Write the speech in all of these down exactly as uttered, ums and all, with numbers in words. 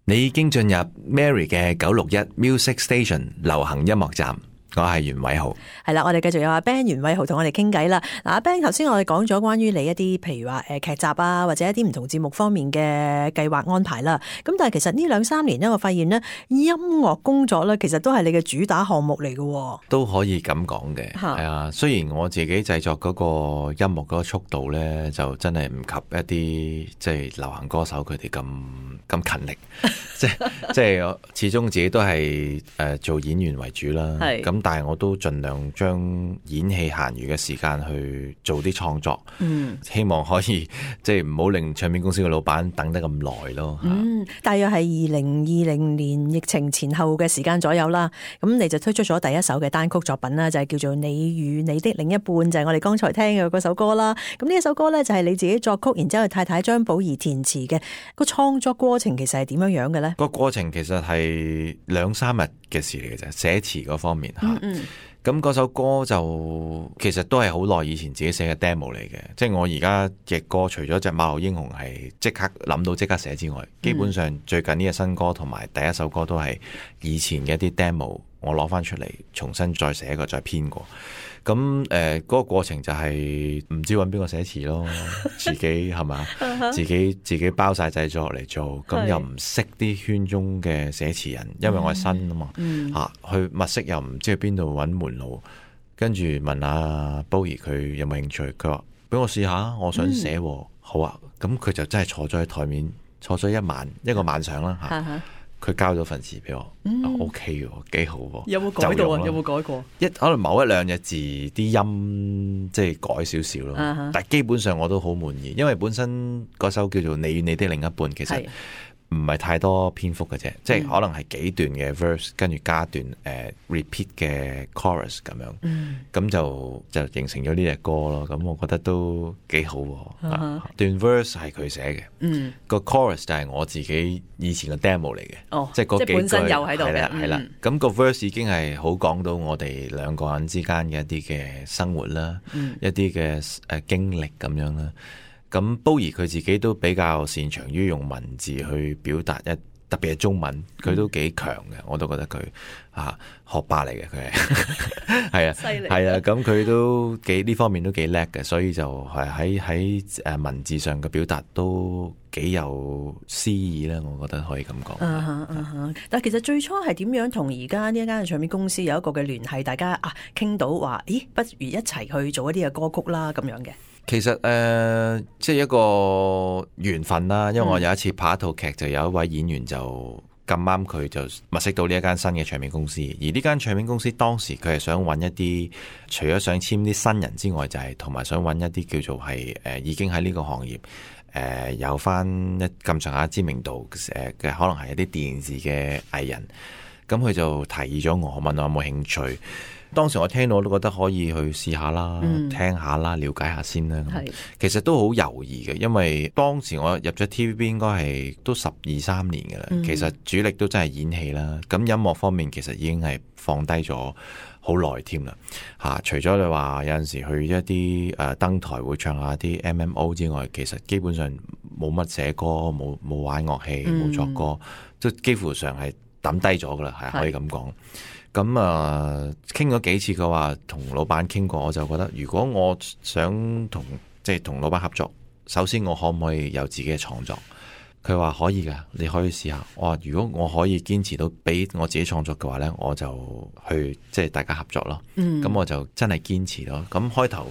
你已經進入 Mary 嘅九六一 Music Station 流行音樂站，我係袁偉豪。係啦，我哋繼續有阿 Ben 袁偉豪同我哋傾偈啦。嗱，阿 Ben 頭先我哋講咗關於你一啲譬如話誒劇集啊，或者一啲唔同節目方面嘅計劃安排啦。咁但係其實呢兩三年咧，我發現咧音樂工作咧，其實都係你嘅主打項目嚟嘅。都可以咁講嘅，係啊。雖然我自己製作嗰個音樂嗰個速度咧，就真係唔及一啲即係流行歌手佢哋咁咁勤力。即係即係我始終自己都係誒、呃、做演員為主啦。咁但係我都盡量將演戲閒餘嘅時間去做啲創作，嗯，希望可以即係唔好令唱片公司嘅老闆等得咁耐咯。嗯，大約係二零二零年疫情前後嘅時間左右啦。咁你就推出咗第一首嘅單曲作品啦，就係叫做《你與你的另一半》，就係我哋剛才聽嘅嗰首歌啦。咁呢一首歌咧就係你自己作曲，然之後太太張寶儀填詞嘅。個創作過程其實係點樣樣嘅咧？個過程其實係兩三日嘅事嚟嘅啫，寫詞嗰方面吓。嗯嗯，咁嗰首歌就其實都係好耐以前自己寫嘅 demo 嚟嘅，即係我而家嘅歌除咗隻馬路英雄係即刻諗到即刻寫之外，基本上最近呢隻新歌同埋第一首歌都係以前嘅一啲 demo，我攞翻出嚟重新再寫過再編過。咁誒嗰個過程就係唔知揾邊個寫詞咯，自己係嘛，自己自己包晒製作嚟做，咁又唔識啲圈中嘅寫詞人，因為我係新啊嘛，嚇、嗯啊、去物色又唔知去邊度揾門路，跟住問阿寶儀佢有冇興趣，佢話俾我試下，我想寫、嗯，好啊，咁佢就真係坐咗喺台面，坐咗一晚一個晚上啦嚇。啊佢交咗份詞俾我、嗯啊、OK 喎，幾好喎。有冇改到啊？有冇改過？一可能某一兩隻字啲音即係改少少咯，uh-huh. 但係基本上我都好滿意，因為本身嗰首叫做《你與你的另一半》，其實唔係太多篇幅嘅啫，即係可能係幾段嘅 verse，跟住加段誒、uh, repeat 嘅 chorus 咁樣，咁、嗯、就就形成咗呢隻歌咯。咁我覺得都幾好喎、uh-huh. 段 verse 係佢寫嘅，嗯，個 chorus 就係我自己以前嘅 demo 嚟嘅，哦，即係嗰幾句，即係本身有喺度嘅，係啦係啦。咁、嗯個 verse 已經係好講到我哋兩個人之間嘅一啲嘅生活啦、嗯，一啲嘅誒經歷咁樣啦。咁寶儀佢自己都比較擅長於用文字去表達一，特別係中文，佢都幾強嘅，我都覺得佢啊學霸嚟嘅，佢係係啊，犀利係啊，咁佢都幾呢方面都幾叻嘅，所以就係喺喺誒文字上嘅表達都幾有詩意啦，我覺得可以咁講。Uh-huh, uh-huh. 但係其實最初係點樣同而家呢一間嘅唱片公司有一個嘅聯繫，大家啊傾到話，咦，不如一齊去做一啲嘅歌曲啦咁樣嘅。其實誒、呃，即係一個緣分啦。因為我有一次拍一套劇，就有一位演員就咁啱佢就物色到呢一間新嘅唱片公司。而呢間唱片公司當時佢係想揾一啲，除咗想簽啲新人之外，就係同埋想揾一啲叫做係誒、呃、已經喺呢個行業誒、呃、有翻一咁上下知名度誒嘅，可能係一啲電視嘅藝人。咁佢就提議咗我，問我有冇興趣。當時我聽到我都覺得可以去試下啦、嗯，聽下啦，了解下先啦。其實都好猶豫嘅，因為當時我入咗 T V B 應該係都十二三年嘅啦、嗯。其實主力都真係演戲啦。咁音樂方面其實已經係放低咗好耐添啦。嚇，除咗你話有陣時去一啲誒登台會唱下啲 M M O 之外，其實基本上冇乜寫歌，冇冇玩樂器，冇作歌，都、嗯、幾乎上係抌低咗噶啦，係可以咁講。咁啊，傾咗幾次，佢話同老闆傾過，我就覺得如果我想同即係同老闆合作，首先我可唔可以有自己嘅創作？佢話可以㗎，你可以試下。我話如果我可以堅持到俾我自己創作嘅話呢，我就去即係大家合作咯。咁、嗯、我就真係堅持咯。咁開頭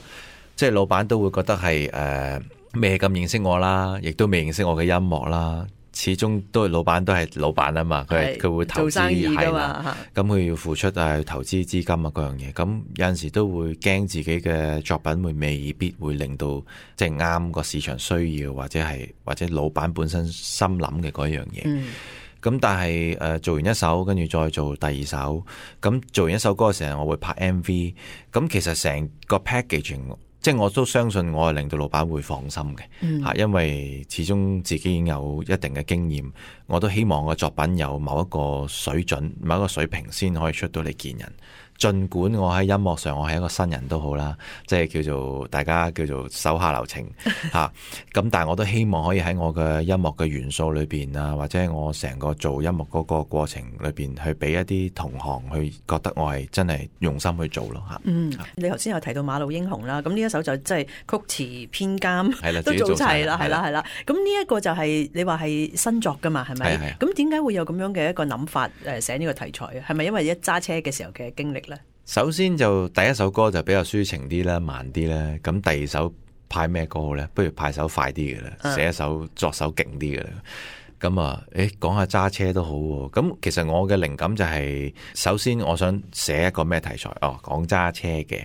即係老闆都會覺得係誒未咁認識我啦，亦都未認識我嘅音樂啦。始終都係老闆，都係老闆啊嘛，佢係佢會投資係啦，咁佢要付出啊，投資資金啊嗰樣嘢，咁有陣時都會驚自己嘅作品會未必會令到即係啱個市場需要，或者係或者老闆本身心諗嘅嗰樣嘢。咁、嗯、但係誒、呃、做完一首，跟住再做第二首，咁做完一首歌嘅時候，我會拍 M V， 咁其實成個 packaging。即係我都相信我係令到老闆會放心嘅，嚇、嗯，因為始終自己已經有一定嘅經驗，我都希望個作品有某一個水準、某一個水平先可以出到嚟見人。儘管我喺音樂上我係一個新人都好啦，即係叫做大家叫做手下留情嚇。咁但係我都希望可以喺我嘅音樂嘅元素裏邊啊，或者我成個做音樂嗰個過程裏邊，去俾一啲同行去覺得我係真係用心去做咯嚇。嗯，你頭先有提到馬路英雄啦，咁呢一首就即係曲詞編監都做齊啦，係啦係啦。咁呢一個就係你話係新作噶嘛，係咪？咁點解會有咁樣嘅一個諗法誒寫呢個題材啊？係咪因為一揸車嘅時候嘅經歷咧？首先就第一首歌就比較抒情啲啦，慢啲啦。咁第二首派咩歌好咧？不如派首快啲嘅啦，寫一首作首勁啲嘅啦。咁啊，誒講下揸車都好喎。咁其實我嘅靈感就係，首先我想寫一個咩題材？哦，講揸車嘅。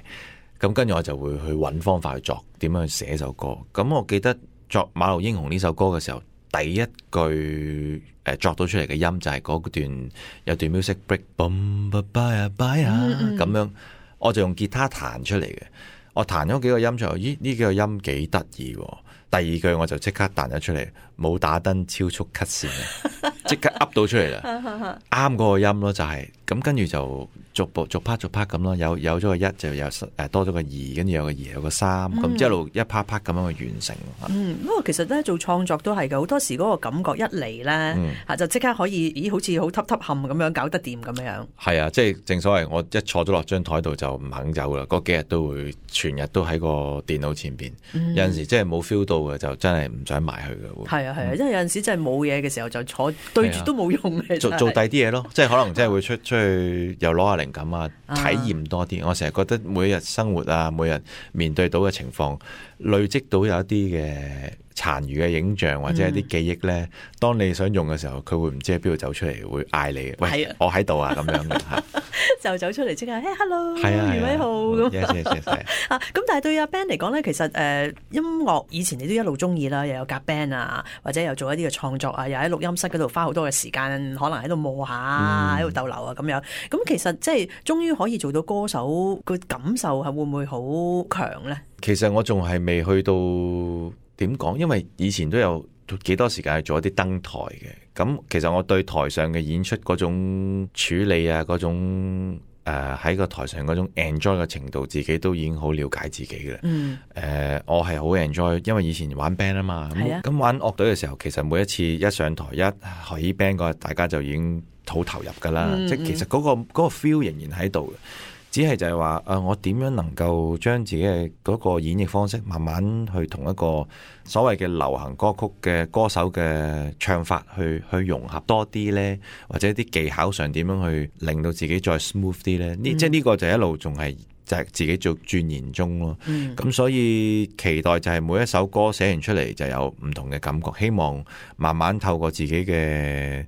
咁跟住我就會去揾方法去作，點樣去寫首歌。咁我記得作《馬路英雄》呢首歌嘅時候，第一句誒作到出嚟嘅音就係嗰段有段 music break，嘣吧拜啊拜啊咁樣，我就用吉他彈出嚟嘅。我彈咗幾個音出嚟，咦呢幾個音幾得意喎。第二句我就即刻彈咗出嚟，冇打燈超速 cut 線，即刻噏到出嚟啦，啱嗰個音咯，就係、是、咁，跟住就逐步逐 part 逐 part 咁咯，有有咗個一就有誒多咗個二，跟住有個二有個三，咁、嗯、一路一 part part 咁樣去完成。嗯，不過其實咧做創作都係嘅，好多時嗰個感覺一嚟咧嚇就即刻可以，咦好似好揼揼冚咁樣搞得掂咁樣。係啊，即係正所謂我一坐咗落張台度就唔肯走啦，嗰幾日都會全日都喺個電腦前邊，嗯、有陣時即係冇 feel 到嘅就真係唔想埋去嘅。係啊係啊，因為有陣時真係冇嘢嘅時候就坐對住都冇用嘅。做做第啲嘢咯，即係可能真係會出出去又攞下靈感啊，體驗多啲。我成日覺得每日生活啊，每日面對到嘅情況，累積到有一啲嘅殘餘嘅影像或者一啲記憶咧，嗯、當你想用嘅時候，佢會唔知喺邊度走出嚟，會嗌你，喂，啊、我喺度啊咁樣嘅嚇，就走出嚟即刻，嘿 hello，係啊，余偉豪咁。yes yes yes 啊，咁但係對阿 Ben 嚟講咧，其實誒、呃、音樂以前你都一路中意啦，又有夾 band 啊，或者又做一啲嘅創作啊，又喺錄音室嗰度花好多嘅時間，可能喺度磨下，喺度逗留啊咁樣。咁其實即係終於可以做到歌手，個感受係會唔會好強咧？其實我仲係未去到點講，因為以前都有幾多時間去做一啲登台嘅。咁其實我對台上嘅演出嗰種處理啊，嗰種誒喺個台上嗰種 enjoy 嘅程度，自己都已經好了解自己嘅啦。嗯。誒、呃，我係好 enjoy，因為以前玩 band 啊嘛。係啊。咁玩樂隊嘅時候，其實每一次一上台一起 band 嗰日，大家就已經好投入噶啦。嗯嗯，即係其實嗰、嗰個、嗰個 feel 仍然喺度嘅。只係就係話，誒、呃，我點樣能夠將自己嘅嗰個演繹方式，慢慢去同一個所謂嘅流行歌曲嘅歌手嘅唱法去去融合多啲呢？或者啲技巧上點樣去令到自己再 smooth 啲呢？呢、嗯、即係呢個就一路仲係就係自己做鑽研中咯。咁、嗯、所以期待就係每一首歌寫完出嚟就有唔同嘅感覺，希望慢慢透過自己嘅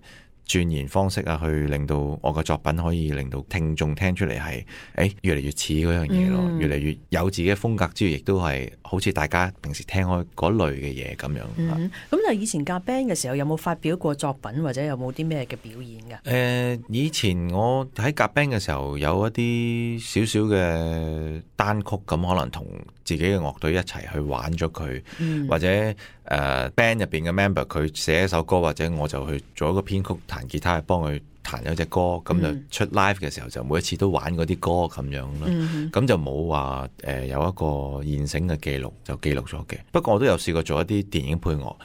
鑽研方式啊，去令到我嘅作品可以令到聽眾聽出嚟係，誒越嚟越似嗰樣嘢咯，嗯、越嚟越有自己嘅風格之餘，亦都係好似大家平時聽開嗰類嘅嘢咁樣。咁、嗯、但係以前夾 band 嘅時候，有冇發表過作品或者有冇啲咩嘅表演㗎？誒、呃，以前我喺夾 band 嘅時候，有一啲少少嘅單曲，咁可能同自己嘅樂隊一齊去玩咗佢，嗯、或者誒、呃、band 入邊嘅 member 佢寫一首歌，或者我就去做一個編曲，彈吉他去幫佢彈咗隻歌，咁、嗯、就出 live 嘅時候就每一次都玩嗰啲歌咁樣咯，咁、嗯、就冇話誒有一個現成嘅記錄就記錄咗嘅。不過我都有試過做一啲電影配樂，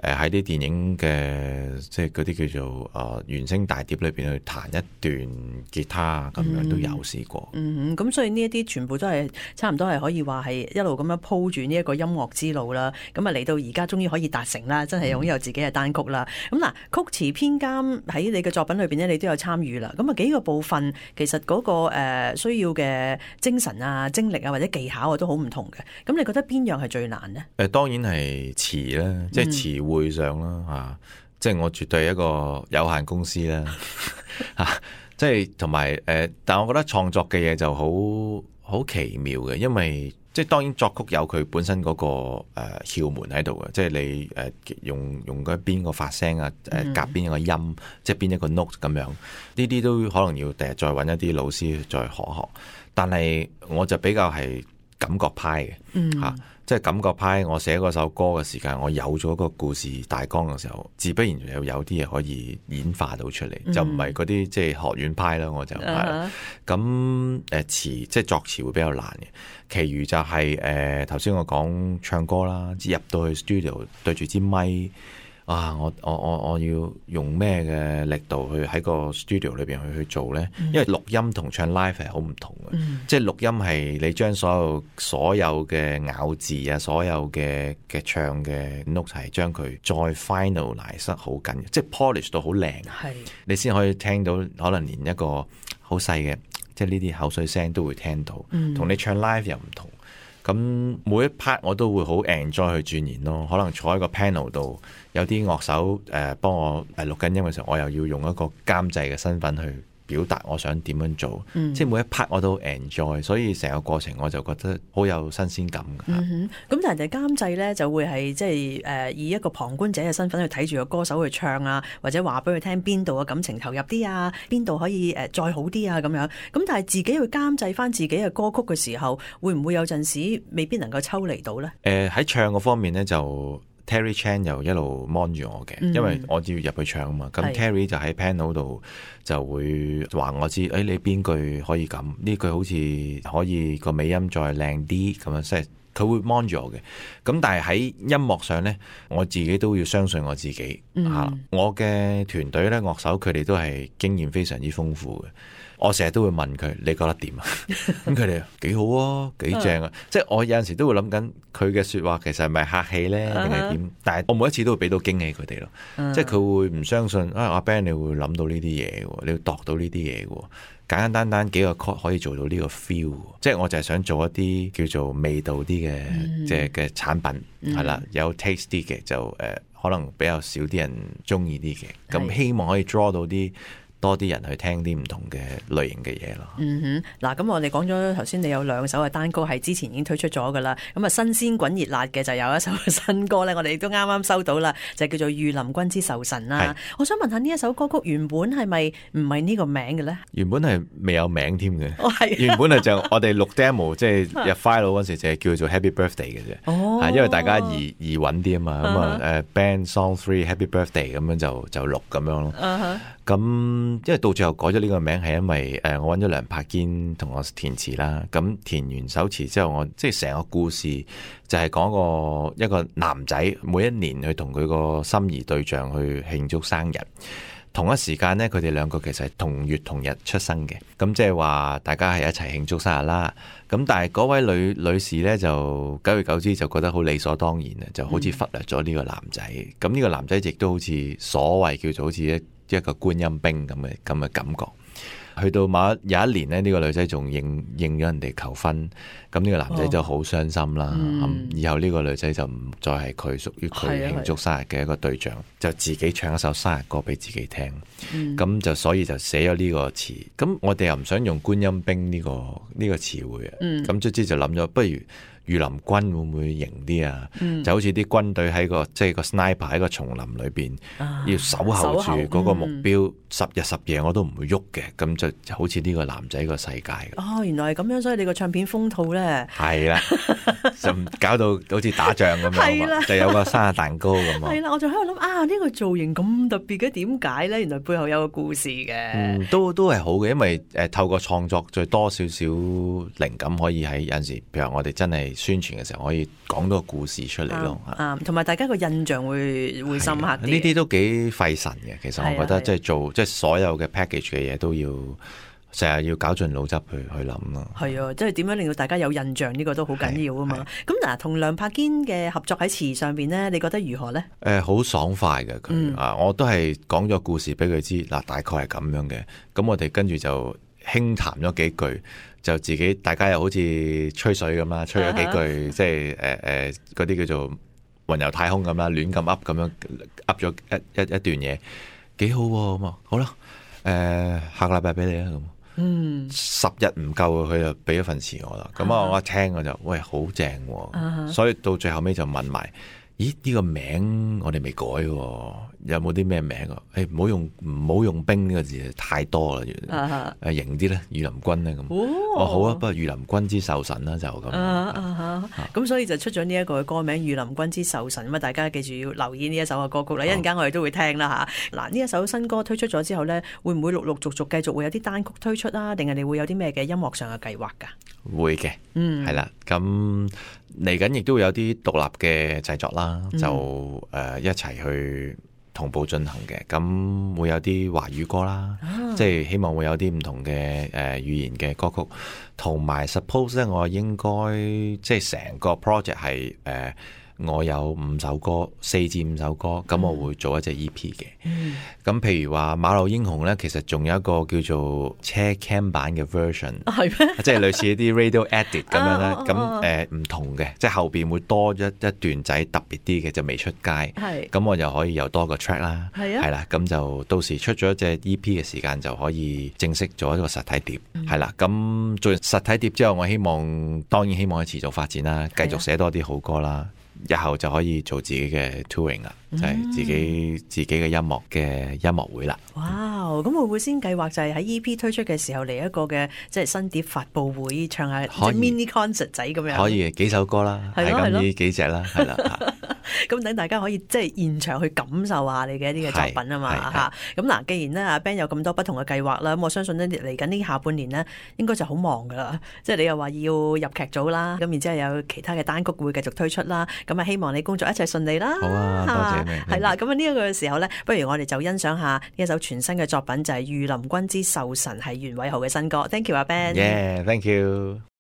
誒喺啲電影嘅即係嗰啲叫做誒、呃、原聲大碟裏邊去彈一段吉他咁樣都有試過。嗯，咁、嗯、所以呢一啲全部都係差唔多係可以話係一路咁樣鋪住呢一個音樂之路啦。咁啊嚟到而家終於可以達成啦，真係擁有自己嘅單曲啦。咁嗱、嗯，曲詞編監喺你嘅作品裏邊咧，你都有參與啦。咁啊幾個部分其實嗰、那個誒、呃、需要嘅精神啊、精力啊或者技巧啊都好唔同嘅。咁你覺得邊樣係最難呢？誒、呃，當然係詞啦，即係詞會上啦吓、啊，即係我絕對係一個有限公司啦吓、啊，即係同埋誒，但係我覺得創作嘅嘢就好好奇妙嘅，因為即係當然作曲有佢本身嗰、那個誒竅門喺度嘅，即係你誒、呃、用用嗰邊個發聲啊，誒夾邊一個音，嗯、即係邊一個 note 咁樣，呢啲都可能要第日再揾一啲老師再學學。但係我就比較係感覺派嘅吓。嗯即係感覺派，我寫嗰首歌嘅時間，我有咗個故事大綱嘅時候，自不然有有啲嘢可以演化到出嚟，嗯、就唔係嗰啲即係學院派啦。我就係咁誒詞，即係作詞會比較難嘅。其餘就係誒頭先我講唱歌啦，入到去 studio 對住支咪。啊！我我我我要用咩嘅力度去喺個 studio 裏邊去去做呢？嗯、因為錄音同唱 live 係好唔同嘅，嗯、即係錄音係你將所有所有嘅咬字啊，所有嘅嘅唱嘅 note 係將佢再 finalize 得好緊，即係 polish 到好靚，是你先可以聽到，可能連一個好細嘅，即係呢啲口水聲都會聽到，同、嗯、你唱 live 又唔同。咁每一 part 我都會好 enjoy 去鑽研咯，可能坐喺個 panel 度，有啲樂手誒幫我誒錄緊音嘅時候，我又要用一個監製嘅身份去表達我想點樣做，嗯、即係每一 part 我都 enjoy，所以成個過程我就覺得好有新鮮感嘅。咁、嗯、但係人哋監製咧就會係即係誒以一個旁觀者嘅身份去睇住個歌手去唱啊，或者話俾佢聽邊度嘅感情投入啲啊，邊度可以誒再好啲啊咁樣。咁但係自己去監製翻自己嘅歌曲嘅時候，會唔會有陣時未必能夠抽離到咧？誒喺、呃、唱嗰方面咧就。Terry Chan 又一路 mon 住我嘅，因為我要入去唱啊嘛。咁、嗯、Terry 就喺 panel 度就會話我知，誒、哎、你邊句可以咁？呢句好似可以個尾音再靚啲咁樣，即係佢會 mon 住我嘅。咁但係喺音樂上咧，我自己都要相信我自己嚇、嗯啊。我嘅團隊咧，樂手佢哋都係經驗非常之豐富嘅。我成日都會問佢，你覺得點啊？咁佢哋幾好啊，幾正啊！即係我有陣時都會諗緊佢嘅説話，其實係咪客氣咧，定係點？但係我每一次都會俾到驚喜佢哋咯。即係佢會唔相信啊？阿 Ben 你會諗到呢啲嘢喎，你會度到呢啲嘢喎。簡簡單單幾個 chord 可以做到呢個 feel。即係我就係想做一啲叫做味道啲嘅，即係嘅產品係啦，有 taste 啲嘅就誒、呃，可能比較少啲人中意啲嘅。咁希望可以 draw 到啲。多啲人去聽啲唔同嘅類型嘅嘢咯。嗯哼，嗱，咁我哋講咗頭先，你有兩首嘅單歌係之前已經推出咗噶啦。咁啊，新鮮滾熱辣嘅就有一首新歌咧，我哋都啱啱收到啦，就叫做《御林軍之仇神》啦。是我想問下呢一首歌曲原本係咪唔係呢個名嘅咧？原本係未有名添嘅。哦，係。原本係就我哋錄 demo， 即係入 file 嗰時就係叫做 Happy Birthday 嘅啫。哦。因為大家易易揾啲啊嘛，咁啊誒 Band Song Three Happy Birthday 咁樣就就錄咁樣咯。嗯哼。咁，因為到最後改咗呢個名，係因為誒我揾咗梁柏堅同我填詞啦。咁填完首詞之後，我即係成個故事就係講個一個男仔每一年去同佢個心儀對象去慶祝生日。同一時間呢，佢哋兩個其實係同月同日出生嘅。咁即係話大家係一齊慶祝生日啦。咁但係嗰位女女士呢，就久而久之就覺得好理所當然啊，就好似忽略咗呢個男仔。咁呢、嗯、個男仔亦都好似所謂叫做好似一一個觀音兵咁嘅咁嘅感覺，去到某一有一年呢，呢、呢個女仔仲應應咗人哋求婚，咁呢個男仔就好傷心啦。咁、哦嗯、以後呢個女仔就唔再係佢屬於佢慶祝生日嘅一個對象，就自己唱一首生日歌俾自己聽。咁、嗯、就所以就寫咗呢個詞。咁我哋又唔想用觀音兵呢、呢個呢、呢個詞彙啊。咁卒之就諗咗，不如御林軍會唔會型啲啊？嗯、就好似啲軍隊喺個即係個 sniper 喺個叢林裏邊，啊、要守候住嗰個目標，嗯、十日十夜我都唔會喐嘅。咁就就好似呢個男仔個世界。哦，原來係咁樣，所以你個唱片封套咧，係啦，就搞到好似打仗咁樣，的就有個生日蛋糕咁啊。係啦，我就喺度諗啊，呢、呢個造型咁特別嘅，點解咧？原來背後有個故事嘅。嗯，都都係好嘅，因為誒、呃、透過創作再多少少靈感，可以喺有陣時，譬如我哋真係宣傳嘅時候可以講到個故事出嚟咯，啊，同埋大家個印象會會深刻啲。呢啲都幾費神嘅，其實我覺得即係做即係所有嘅 package 嘅嘢都要成日要搞盡腦汁去去諗咯。係啊，即係點樣令到大家有印象呢個都好緊要啊嘛。咁嗱，同梁柏堅嘅合作喺詞上邊呢，你覺得如何呢？誒、呃，好爽快嘅佢啊，我都係講咗故事俾佢知嗱，大概係咁樣嘅。咁我哋跟住就輕談咗幾句。就自己大家又好似吹水咁啦，吹咗幾句，uh huh. 即係誒誒嗰啲叫做雲遊太空咁啦，亂咁噏咁樣噏咗一一一段嘢，幾好喎咁啊！好啦，誒、呃、下個禮拜俾你啊咁，嗯，十日唔夠佢就俾咗份詞我啦，咁啊、uh huh. 我一聽我就喂好正喎，uh huh. 所以到最後尾就問埋咦呢、這個名我哋未改喎，有冇啲咩名啊？誒唔好用唔好用兵呢個字，太多啦，誒、啊啊、型啲咧，御林軍咧咁。哦好啊，不過御林軍之壽神啦就咁。咁、啊啊啊、所以就出咗呢一個歌名《御林軍之壽神》咁啊！大家記住要留意呢一首嘅歌曲啦，一陣間我哋都會聽啦嚇。嗱呢一首新歌推出咗之後咧，會唔會陸陸續續繼續會有啲單曲推出啊？定係你會有啲咩嘅音樂上嘅計劃㗎？會嘅，嗯，係啦，咁嚟緊亦都會有啲獨立嘅製作啦，嗯、就誒、呃、一齊去同步進行嘅，咁會有啲華語歌啦，啊、即係希望會有啲唔同嘅誒、呃、語言嘅歌曲，同埋 suppose 咧，我應該即係成個 project 係誒。呃我有五首歌，四至五首歌，咁我會做一隻 E P 嘅。咁、嗯、譬如話《馬路英雄》咧，其實仲有一個叫做車 cam 版嘅 version，係咩？即係類似一啲 radio edit 咁樣咧。咁誒唔同嘅，即係後邊會多一一段仔特別啲嘅，就未出街。係咁我就可以有多個 track 啦。係啊，係啦，咁就到時出咗一隻 E P 嘅時間就可以正式做一個實體碟。係啦、嗯，咁做完實體碟之後，我希望當然希望去持續發展啦，繼續寫多啲好歌啦。日後就可以做自己嘅 touring 啦，就係、是、自己、嗯、自己嘅音樂嘅音樂會啦。哇！咁會唔會先計劃就係喺 E P 推出嘅時候嚟一個嘅即係新碟發佈會，唱下即係 mini concert 仔咁樣？可以幾首歌啦，係咁呢幾隻啦，係啦。咁等大家可以即係現場去感受下你嘅一啲嘅作品啊嘛嚇。咁嗱，既然咧阿 Ben 有咁多不同嘅計劃啦，咁我相信咧嚟緊呢下半年呢應該就好忙噶啦。即係你又話要入劇組啦，咁然之後有其他嘅單曲會繼續推出啦。咁啊，希望你工作一切順利啦。好啊，多謝你。係啦，咁啊呢一個時候咧，不如我哋就欣賞下呢一首全新嘅作品，就係《御林軍之壽神》，係袁偉豪嘅新歌。Thank you，阿 Ben。Yeah，thank you。